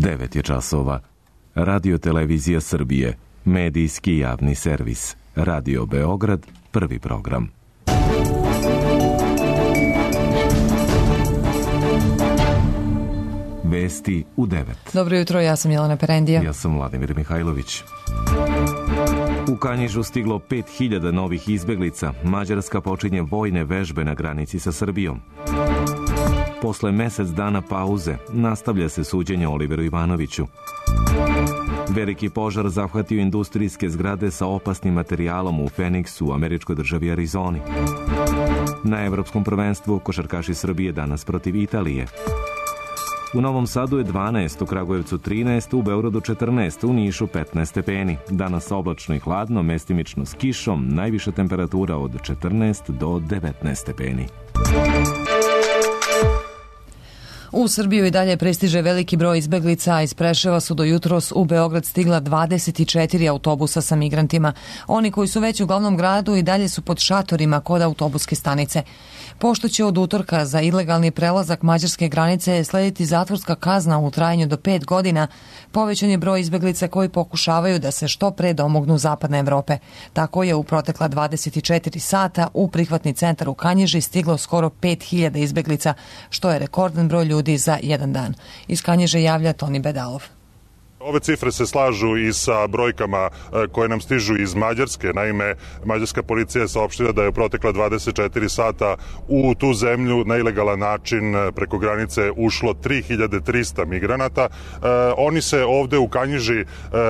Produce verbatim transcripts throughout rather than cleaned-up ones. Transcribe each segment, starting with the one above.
devet je časova. Radio Televizija Srbije, medijski javni servis. Radio Beograd, prvi program. Vesti u devet. Dobro jutro, ja sam Jelena Perendija. Ja sam Vladimir Mihajlović. U Kanjižu stiglo pet hiljada novih izbeglica. Mađarska počinje vojne vežbe na granici sa Srbijom. Posle mesec dana pauze nastavlja se suđenje Oliveru Ivanoviću. Veliki požar zahvatio industrijske zgrade sa opasnim materijalom u Feniksu u američkoj državi Arizoni. Na Evropskom prvenstvu košarkaši Srbije danas protiv Italije. U Novom Sadu je dvanaest, u Kragujevcu trinaest, u Beogradu četrnaest, u Nišu petnaest stepeni. Danas oblačno i hladno, mestimično s kišom, najviša temperatura od četrnaest do devetnaest stepeni. U Srbiju i dalje prestiže veliki broj izbeglica, a iz Preševa su do jutros u Beograd stigla dvadeset četiri autobusa sa migrantima. Oni koji su već u glavnom gradu i dalje su pod šatorima kod autobuske stanice. Pošto će od utorka za ilegalni prelazak mađarske granice slediti zatvorska kazna u trajanju do pet godina, povećan je broj izbeglica koji pokušavaju da se što pre domognu zapadne Evrope. Tako je u protekla dvadeset četiri sata u prihvatni centar u Kanjiži stiglo skoro pet hiljada izbeglica, što je rekordan broj ljudi za jedan dan. Iz Kanjiže javlja Toni Bedalov. Ove cifre se slažu i sa brojkama koje nam stižu iz Mađarske. Naime, mađarska policija je saopštila da je u protekla dvadeset četiri sata u tu zemlju na ilegalan način preko granice ušlo tri hiljade trista migranata. Oni se ovde u Kanjiži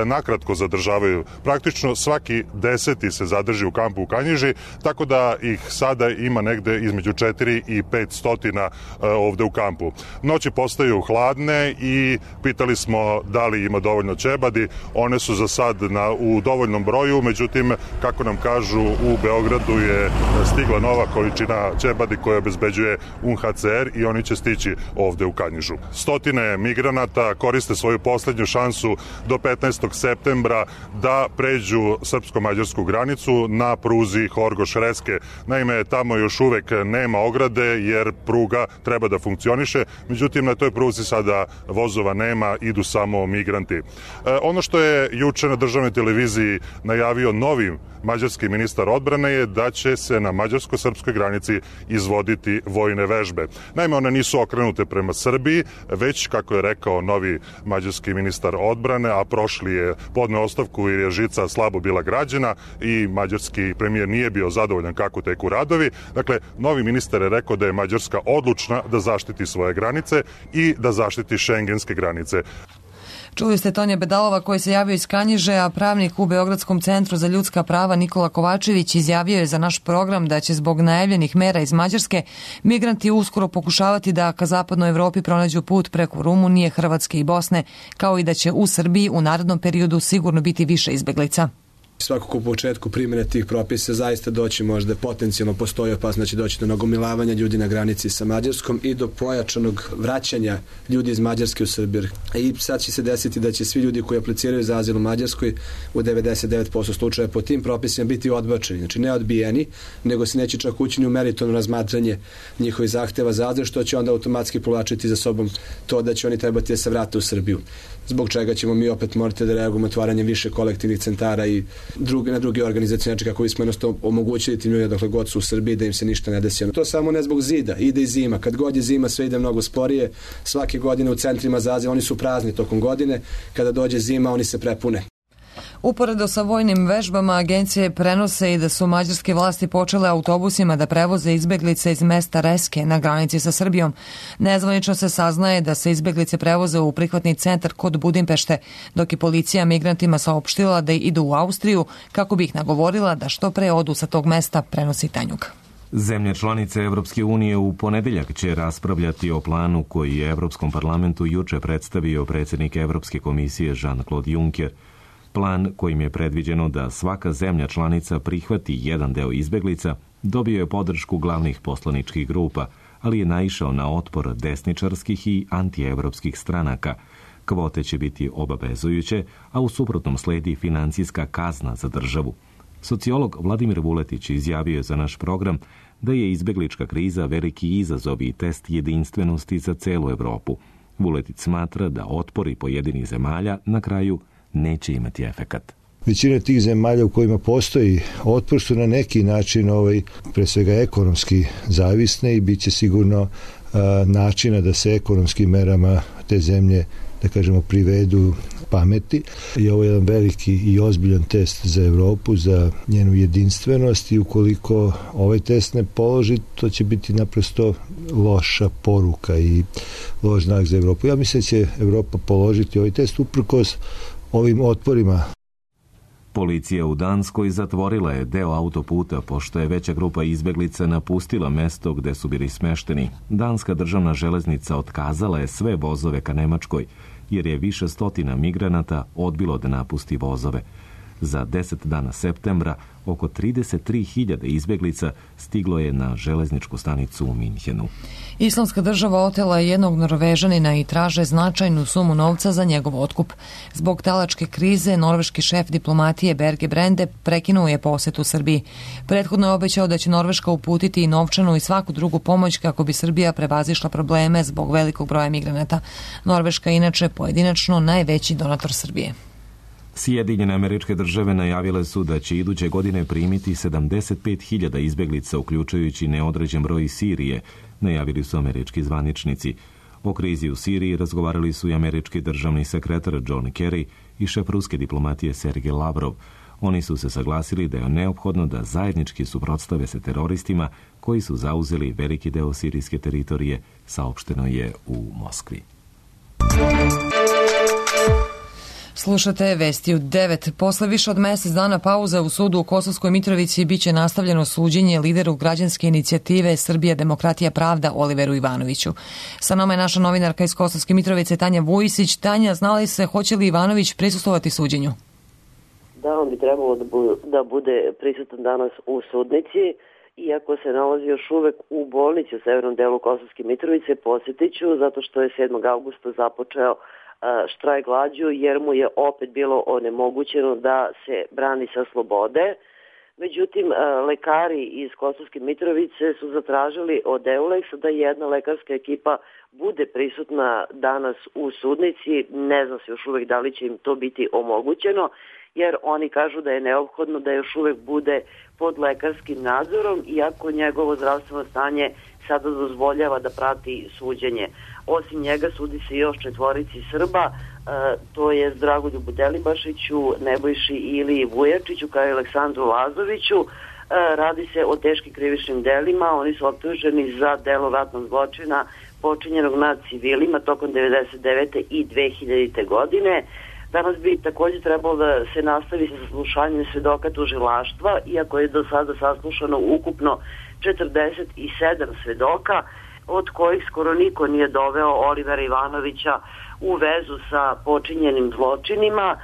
nakratko zadržavaju. Praktično svaki deseti se zadrži u kampu u Kanjiži, tako da ih sada ima negde između četiri i pet stotina ovde u kampu. Noći postaju hladne i pitali smo da li ima dovoljno ćebadi. One su za sad na, u dovoljnom broju, međutim, kako nam kažu, u Beogradu je stigla nova količina ćebadi koja obezbeđuje U N H C R i oni će stići ovde u Kanjižu. Stotine migranata koriste svoju poslednju šansu do petnaestog septembra da pređu srpsko-mađarsku granicu na pruzi Horgoš-Reske. Naime, tamo još uvek nema ograde jer pruga treba da funkcioniše, međutim, na toj pruzi sada vozova nema, idu samo migranti. E, ono što je juče na državnoj televiziji najavio novi mađarski ministar odbrane je da će se na mađarsko-srpskoj granici izvoditi vojne vežbe. Naime, one nisu okrenute prema Srbiji, već, kako je rekao novi mađarski ministar odbrane, a prošli je podneo ostavku jer je žica slabo bila građena i mađarski premijer nije bio zadovoljan kako teku radovi. Dakle, novi ministar je rekao da je Mađarska odlučna da zaštiti svoje granice i da zaštiti šengenske granice. Čuli ste Tonija Bedalova koji se javio iz Kanjiže, a pravnik u Beogradskom centru za ljudska prava Nikola Kovačević izjavio je za naš program da će zbog najavljenih mera iz Mađarske migranti uskoro pokušavati da ka zapadnoj Evropi pronađu put preko Rumunije, Hrvatske i Bosne, kao i da će u Srbiji u narednom periodu sigurno biti više izbeglica. Svakako u početku primjene tih propisa zaista doći možda potencijalno postoji opasnost da će doći do nagomilavanja ljudi na granici sa Mađarskom i do pojačanog vraćanja ljudi iz Mađarske u Srbiju. I sad će se desiti da će svi ljudi koji apliciraju za azil u Mađarskoj u devedeset devet posto slučaja po tim propisima biti odbačeni. Znači ne odbijeni, nego se neće čak ući u meritorno razmatranje njihovih zahteva za azil, što će onda automatski povlačiti za sobom to da će oni trebati da se vrate u Srbiju. Zbog čega ćemo mi opet morati da reagujemo otvaranjem više kolektivnih centara i druge, na druge organizacije, znači kako bismo jednostavno omogućili tim ljudima dokle god su u Srbiji da im se ništa ne desi. To samo ne zbog zida, ide i zima. Kad god je zima sve ide mnogo sporije. Svake godine u centrima za azil oni su prazni tokom godine. Kada dođe zima oni se prepune. Uporedo sa vojnim vežbama agencije prenose i da su mađarske vlasti počele autobusima da prevoze izbeglice iz mesta Reske na granici sa Srbijom. Nezvanično se saznaje da se izbeglice prevoze u prihvatni centar kod Budimpešte, dok je policija migrantima saopštila da idu u Austriju kako bi ih nagovorila da što pre odu sa tog mesta, prenosi Tanjug. Zemlje članice Evropske unije u ponedeljak će raspravljati o planu koji je Evropskom parlamentu juče predstavio predsjednik Evropske komisije Jean-Claude Juncker. Plan kojim je predviđeno da svaka zemlja članica prihvati jedan deo izbeglica dobio je podršku glavnih poslaničkih grupa, ali je naišao na otpor desničarskih i antievropskih stranaka. Kvote će biti obavezujuće, a u suprotnom sledi financijska kazna za državu. Sociolog Vladimir Vuletić izjavio je za naš program da je izbeglička kriza veliki izazov i test jedinstvenosti za celu Evropu. Vuletić smatra da otpori pojedinih zemalja na kraju neće imati efekat. Većina tih zemalja u kojima postoji otpor su na neki način ovaj, pre svega ekonomski zavisne i bit će sigurno a, načina da se ekonomskim merama te zemlje, da kažemo, privedu pameti. I ovo je jedan veliki i ozbiljan test za Evropu, za njenu jedinstvenost i ukoliko ovaj test ne položi, to će biti naprosto loša poruka i loš znak za Evropu. Ja mislim da će Evropa položiti ovaj test uprkos ovim otporima. Policija u Danskoj zatvorila je deo autoputa pošto je veća grupa izbeglica napustila mesto gde su bili smešteni. Danska državna železnica otkazala je sve vozove ka Nemačkoj, jer je više stotina migranata odbilo da napusti vozove. Za deset dana septembra oko trideset tri hiljade izbeglica stiglo je na železničku stanicu u Minhenu. Islamska država otela je jednog Norvežanina i traže značajnu sumu novca za njegov otkup. Zbog talačke krize, norveški šef diplomatije Berge Brende prekinuo je posetu Srbiji. Prethodno je obećao da će Norveška uputiti i novčanu i svaku drugu pomoć kako bi Srbija prevazišla probleme zbog velikog broja migranata. Norveška je inače pojedinačno najveći donator Srbije. Sjedinjene Američke Države najavile su da će iduće godine primiti sedamdeset pet hiljada izbeglica, uključujući neodređen broj iz Sirije, najavili su američki zvaničnici. O krizi u Siriji razgovarali su i američki državni sekretar John Kerry i šef ruske diplomatije Sergej Lavrov. Oni su se saglasili da je neophodno da zajednički suprotstave se teroristima koji su zauzeli veliki deo sirijske teritorije, saopšteno je u Moskvi. Slušate vesti u devet. Posle više od mesec dana pauza u sudu u Kosovskoj Mitrovici biće nastavljeno suđenje lideru građanske inicijative Srbija, demokratija, pravda Oliveru Ivanoviću. Sa nama je naša novinarka iz Kosovske Mitrovice Tanja Vujisić. Tanja, zna li se hoće li Ivanović prisustvovati suđenju? Da, on bi trebalo da bude, da bude prisutan danas u sudnici. Iako se nalazi još uvek u bolnici u severnom delu Kosovske Mitrovice, posjetit ću zato što je sedmog avgusta započeo štrajk glađu jer mu je opet bilo onemogućeno da se brani sa slobode. Međutim, lekari iz Kosovske Mitrovice su zatražili od Euleksa da jedna lekarska ekipa bude prisutna danas u sudnici. Ne zna se još uvek da li će im to biti omogućeno, jer oni kažu da je neophodno da još uvek bude pod lekarskim nadzorom, iako njegovo zdravstveno stanje sada dozvoljava da prati suđenje. Osim njega sudi se još četvorici Srba, e, to je Dragoljubu Delibašiću, Nebojši Iliji Vujačiću kao i Aleksandru Lazoviću. E, radi se o teškim krivičnim delima, oni su optuženi za delo ratnog zločina počinjenog nad civilima tokom devedeset devete i dve hiljadite. godine. Danas bi također trebalo da se nastavi sa saslušanjem svedoka tužilaštva, iako je do sada saslušano ukupno četrdeset sedam svedoka, od kojih skoro niko nije doveo Olivera Ivanovića u vezu sa počinjenim zločinima.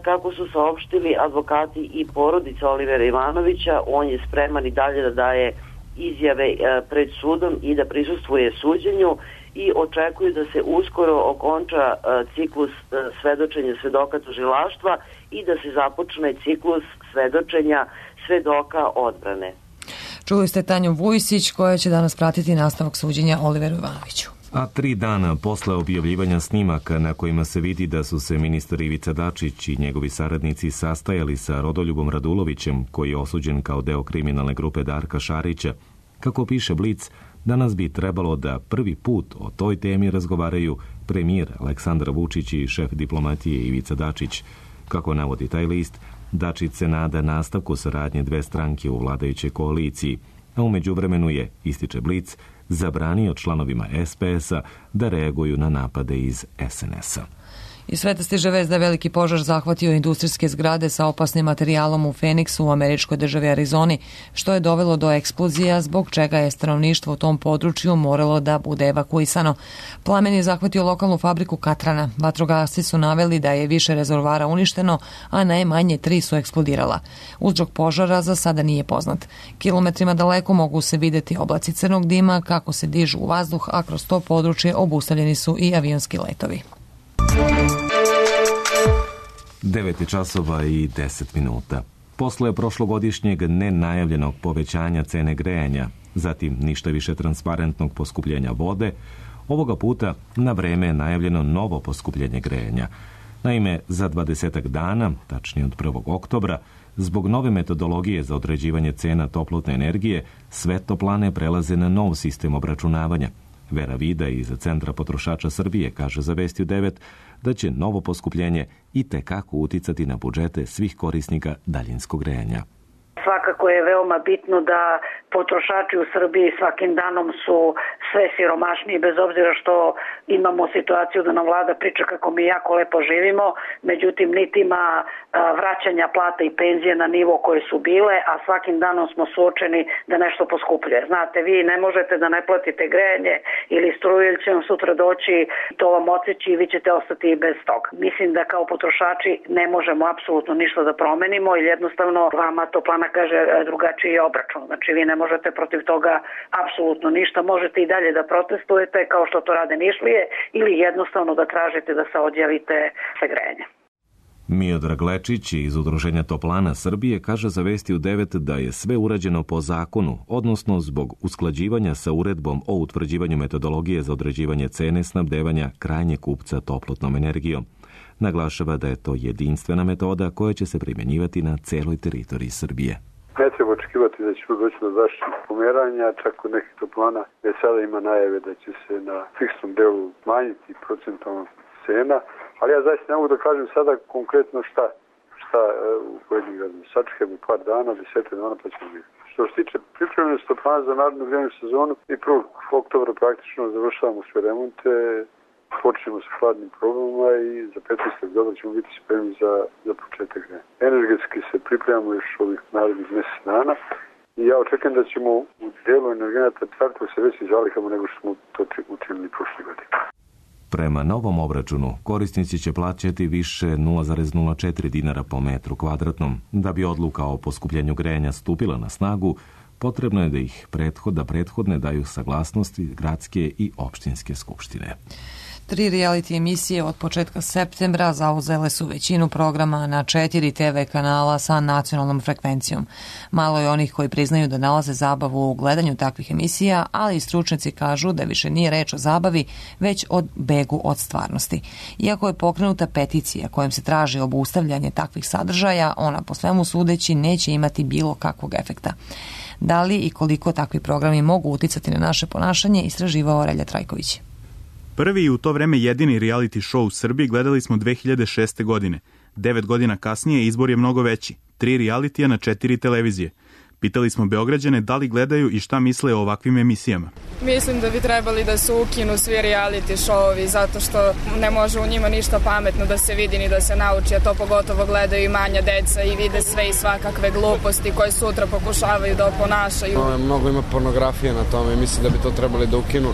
Kako su saopštili advokati i porodica Olivera Ivanovića, on je spreman i dalje da daje izjave pred sudom i da prisustvuje suđenju i očekuju da se uskoro okonča ciklus svedočenja svedoka tužilaštva i da se započne ciklus svedočenja svedoka odbrane. Čuli ste Tanju Vujisić koja će danas pratiti nastavak suđenja Oliveru Ivanoviću. A tri dana posle objavljivanja snimaka na kojima se vidi da su se ministar Ivica Dačić i njegovi saradnici sastajali sa Rodoljubom Radulovićem, koji je osuđen kao deo kriminalne grupe Darka Šarića, kako piše Blic, danas bi trebalo da prvi put o toj temi razgovaraju premijer Aleksandar Vučić i šef diplomatije Ivica Dačić. Kako navodi taj list, Dačić se nada nastavku saradnje dve stranke u vladajućoj koaliciji, a u međuvremenu je, ističe Blic, zabranio članovima es pe es-a da reaguju na napade iz es en es-a. Iz sveta stiže vest da je veliki požar zahvatio industrijske zgrade sa opasnim materijalom u Feniksu u američkoj državi Arizoni, što je dovelo do eksplozija, zbog čega je stanovništvo u tom području moralo da bude evakuisano. Plamen je zahvatio lokalnu fabriku katrana. Vatrogasci su naveli da je više rezervoara uništeno, a najmanje tri su eksplodirala. Uzrok požara za sada nije poznat. Kilometrima daleko mogu se videti oblaci crnog dima kako se dižu u vazduh, a kroz to područje obustavljeni su i avionski letovi. devet časova i deset minuta. Posle prošlogodišnjeg nenajavljenog povećanja cene grejanja, zatim ništa više transparentnog poskupljenja vode, Ovoga puta na vreme je najavljeno novo poskupljenje grejanja. Naime, za dvadesetak dana, tačnije od prvog oktobra, zbog nove metodologije za određivanje cena toplotne energije, sve toplane prelaze na nov sistem obračunavanja. Vera Vida iz Centra potrošača Srbije kaže za Vesti u devet da će novo poskupljenje i tekako uticati na budžete svih korisnika daljinskog grejanja. Svakako je veoma bitno da potrošači u Srbiji svakim danom su sve siromašniji, bez obzira što imamo situaciju da nam vlada priča kako mi jako lepo živimo, međutim niti ima vraćanja plata i penzije na nivo koje su bile, a svakim danom smo suočeni da nešto poskupljuje. Znate, vi ne možete da ne platite grejanje ili struju, ili će vam sutra doći, to vam odseći i vi ćete ostati i bez toga. Mislim da kao potrošači ne možemo apsolutno ništa da promenimo, ili jednostavno vama toplana kaže drugačiji obračun. Znači vi ne možete protiv toga apsolutno ništa, možete i dalje da protestujete kao što to rade Nišlije ili jednostavno da tražite da se odjavite sa grejanjem. Miodrag Lečić iz Udruženja Toplana Srbije kaže za Vesti u devet da je sve urađeno po zakonu, odnosno zbog usklađivanja sa uredbom o utvrđivanju metodologije za određivanje cene snabdevanja krajnjeg kupca toplotnom energijom. Naglašava da je to jedinstvena metoda koja će se primjenjivati na celoj teritoriji Srbije. Ne treba očekivati da će doći do drastičnih pomeranja, čak kod nekih toplana već sada ima najave da će se na fiksnom delu smanjiti procentalna cena, ali ja zaista ne mogu da kažem sada konkretno šta, šta u pojedinim gradima. Sačekajmo par dana, desetak dana pa ćemo vidjeti. Što se tiče pripremljenosti toplana za narednu grejnu sezonu, i prvog oktobra praktično završavamo sve remonte, počnemo sa hladnim probama i za petnaestog oktobra ćemo biti spremni za, za početak grejanja. Energetski se pripremamo još ovih narednih mjesec dana i ja očekujem da ćemo u delu energenata startati sa većim zalihama nego što smo to učinili prošle godine. Prema novom obračunu, korisnici će plaćati više nula zarez nula četiri dinara po metru kvadratnom. Da bi odluka o poskupljenju grejanja stupila na snagu, potrebno je da ih prethod, da prethodne daju saglasnosti gradske i opštinske skupštine. Tri reality emisije od početka septembra zauzele su većinu programa na četiri te ve kanala sa nacionalnom frekvencijom. Malo je onih koji priznaju da nalaze zabavu u gledanju takvih emisija, ali i stručnjaci kažu da više nije reč o zabavi, već o begu od stvarnosti. Iako je pokrenuta peticija kojom se traži obustavljanje takvih sadržaja, ona po svemu sudeći neće imati bilo kakvog efekta. Da li i koliko takvi programi mogu uticati na naše ponašanje, istraživao Relja Trajković. Prvi i u to vreme jedini reality show u Srbiji gledali smo dve hiljade šeste. godine. Devet godina kasnije izbor je mnogo veći. Tri realitija na četiri televizije. Pitali smo Beograđane da li gledaju i šta misle o ovakvim emisijama. Mislim da bi trebali da se ukinu svi reality showovi zato što ne može u njima ništa pametno da se vidi ni da se nauči, a to pogotovo gledaju i manja deca i vide sve i svakakve gluposti koje sutra pokušavaju da oponašaju. No, mnogo ima pornografije na tome i mislim da bi to trebali da ukinu,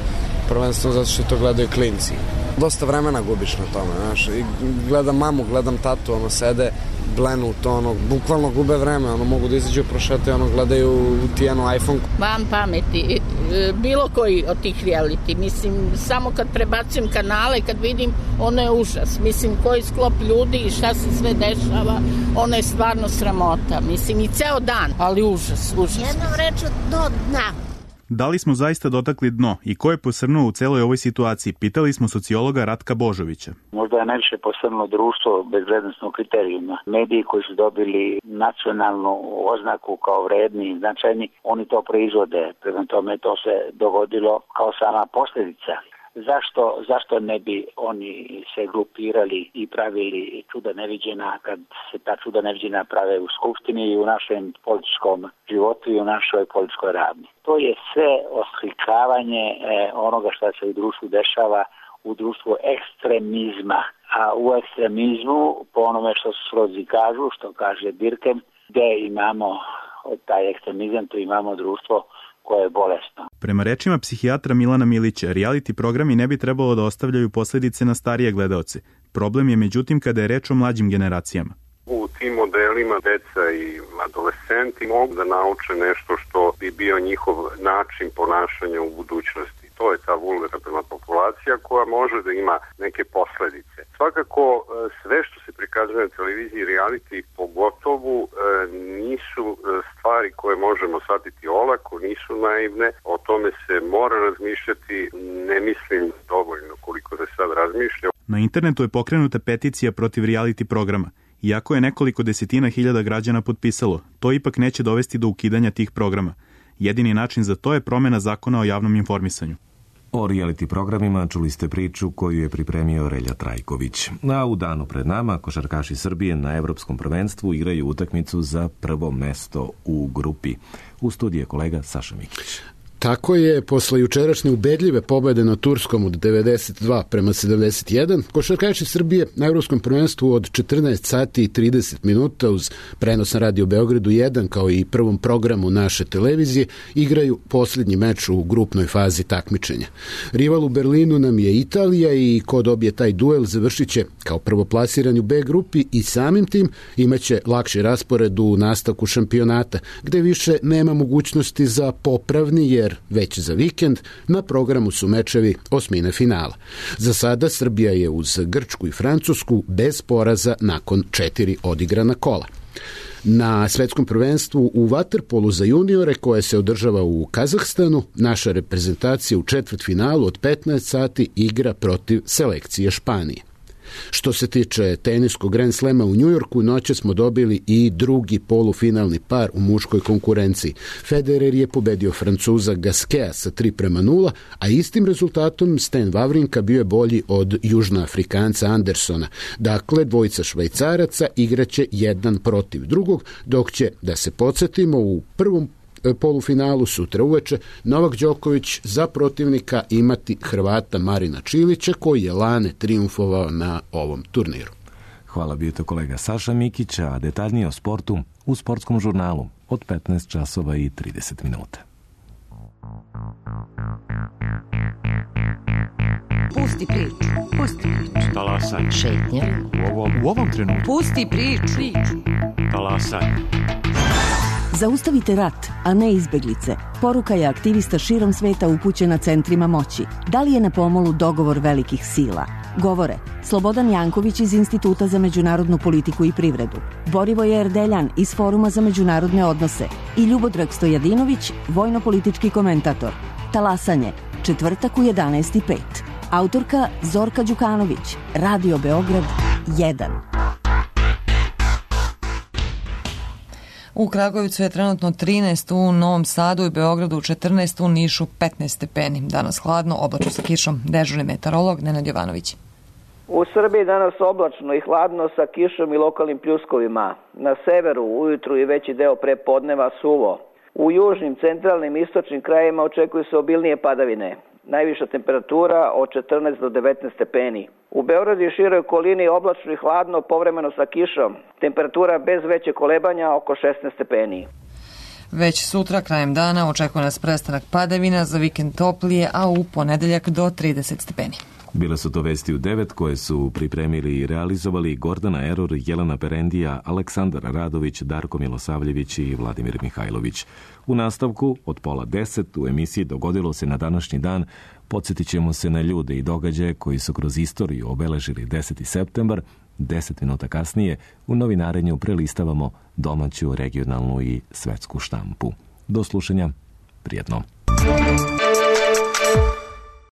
prvenstveno zato što to gledaju klinci. Dosta vremena gubiš na tome, znaš, i gledam mamu, gledam tatu, ono, sede, blenu to, ono, bukvalno gube vreme, ono, mogu da izađu prošete, ono, gledaju tijenu iPhone. Van pameti, bilo koji od tih reality, mislim, samo kad prebacujem kanale, kad vidim, ono je užas, mislim, koji sklop ljudi i šta se sve dešava, ono je stvarno sramota, mislim, i ceo dan, ali užas, užas. Jednom reču do dna. Da li smo zaista dotakli dno i ko je posrnuo u celoj ovoj situaciji? Pitali smo sociologa Ratka Božovića. Možda je najviše posrnulo društvo bez vrednostnog kriterijuma. Mediji koji su dobili nacionalnu oznaku kao vredni i značajni, oni to proizvode. Prema tome to se dogodilo kao sama posljedica. Zašto, zašto ne bi oni se grupirali i pravili čuda neviđena kad se ta čuda neviđena prave u skupštini i u našem političkom životu i u našoj političkoj ravni? To je sve oslikavanje eh, onoga što se u društvu dešava, u društvu ekstremizma. A u ekstremizmu, po onome što Srozi kažu, što kaže Dirkem, gde imamo taj ekstremizam, tu imamo društvo koje je bolesno. Prema rečima psihijatra Milana Milića, reality programi ne bi trebalo da ostavljaju posledice na starije gledaoce. Problem je međutim kada je reč o mlađim generacijama. U tim modelima deca i adolescenti mogu da nauče nešto što bi bio njihov način ponašanja u budućnosti. To je ta vulnerabilna populacija koja može da ima neke posledice. Svakako sve što se prikazuje prikazuje na televiziji reality pogotovo e, nisu stvari koje možemo shvatiti olako, nisu naivne, o tome se mora razmišljati, ne mislim dovoljno koliko da sad razmišlja. Na internetu je pokrenuta peticija protiv reality programa. Iako je nekoliko desetina hiljada građana potpisalo, to ipak neće dovesti do ukidanja tih programa. Jedini način za to je promjena zakona o javnom informisanju. O reality programima čuli ste priču koju je pripremio Relja Trajković. A u danu pred nama košarkaši Srbije na Evropskom prvenstvu igraju utakmicu za prvo mesto u grupi. U studiju je kolega Saša Mikić. Tako je, posle jučerašnje ubedljive pobede na Turskom od devedeset dva prema sedamdeset jedan, košarkaši Srbije na Evropskom prvenstvu od četrnaest sati i trideset minuta uz prenos na Radio Beogradu jedan kao i prvom programu naše televizije igraju posljednji meč u grupnoj fazi takmičenja. Rival u Berlinu nam je Italija i ko dobije taj duel završit će kao prvoplasirani u B grupi i samim tim imaće lakši raspored u nastavku šampionata, gde više nema mogućnosti za popravni jer već za vikend na programu su mečevi osmine finala. Za sada Srbija je uz Grčku i Francusku bez poraza nakon četiri odigrana kola. Na svetskom prvenstvu u vaterpolu za juniore koje se održava u Kazahstanu, naša reprezentacija u četvrtfinalu od petnaest sati igra protiv selekcije Španije. Što se tiče teniskog Grand Slema u Njujorku, noće smo dobili i drugi polufinalni par u muškoj konkurenciji. Federer je pobedio Francuza Gaskea sa tri prema nula, a istim rezultatom Stan Wawrinka bio je bolji od Južnoafrikanca Andersona. Dakle, dvojica Švajcaraca igraće jedan protiv drugog, dok će, da se podsjetimo, u prvom polufinalu sutra uveče Novak Đoković za protivnika imati Hrvata Marina Čilića koji je lane trijumfovao na ovom turniru. Hvala, bio to kolega Saša Mikić, a detaljnije o sportu u sportskom žurnalu od petnaest časova i trideset minuta. Pusti priču, pusti priču. Talasaj. Šetnja. U ovom, u ovom trenutku. Pusti priču. Talasaj. Zaustavite rat, a ne izbeglice. Poruka je aktivista širom sveta upućena centrima moći. Da li je na pomolu dogovor velikih sila? Govore Slobodan Janković iz Instituta za međunarodnu politiku i privredu, Borivoje Erdeljan iz Foruma za međunarodne odnose i Ljubodrag Stojadinović, vojno-politički komentator. Talasanje, četvrtak u jedanaest i pet. Autorka Zorka Đukanović, Radio Beograd jedan. U Kragujevcu je trenutno trinaest, u Novom Sadu i Beogradu četrnaest, u Nišu petnaest stepeni. Danas hladno, oblačno sa kišom. Dežurni meteorolog Nenad Jovanović. U Srbiji danas oblačno i hladno sa kišom i lokalnim pljuskovima. Na severu ujutru i veći deo prepodneva suvo. U južnim, centralnim i istočnim krajevima očekuju se obilnije padavine. Najviša temperatura od četrnaest do devetnaest stepeni. U Beogradu i široj okolini oblačno i hladno, povremeno sa kišom. Temperatura bez veće kolebanja oko šesnaest stepeni. Već sutra, krajem dana, očekuje nas prestanak padavina, za vikend toplije, a u ponedeljak do trideset stepeni. Bile su to vesti u devet koje su pripremili i realizovali Gordana Eror, Jelena Perendija, Aleksandar Radović, Darko Milosavljević i Vladimir Mihajlović. U nastavku od pola deset u emisiji Dogodilo se na današnji dan podsjetit ćemo se na ljude i događaje koji su kroz istoriju obeležili deseti septembar. Deset minuta kasnije u novinarenju prelistavamo domaću, regionalnu i svetsku štampu. Do slušanja, prijetno.